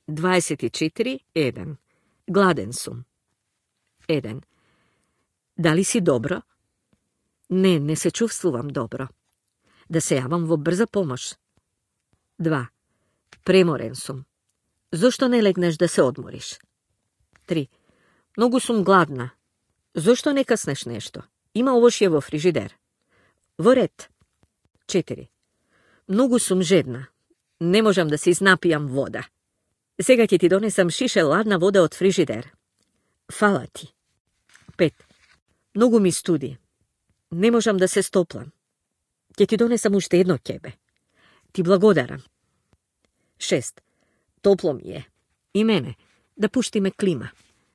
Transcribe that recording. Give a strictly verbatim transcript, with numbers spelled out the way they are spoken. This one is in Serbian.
dvadeset četiri jedan. Gladen sum. jedan. Da li si dobro? Ne, ne se čuvstvuvam dobro. Da se javam vo brza pomoć. dva. Premoren sum. Zašto ne legneš da se odmoriš? tri. Mnogo sum gladna. Zašto ne kasneš nešto? Ima ovošje vo frižider. Voret. četiri. Mnogo sum žedna. Ne možem da si iznapijam voda. Sega ti ti donesam šiše ladna voda od frižider. Hvala ti. pet. Mnogo mi studi. Ne možem da se stoplam. Ti ti donesam ušte jedno kebe. Ti blagodaram. šest. Toplo mi je. I mene. Da pušti me klima.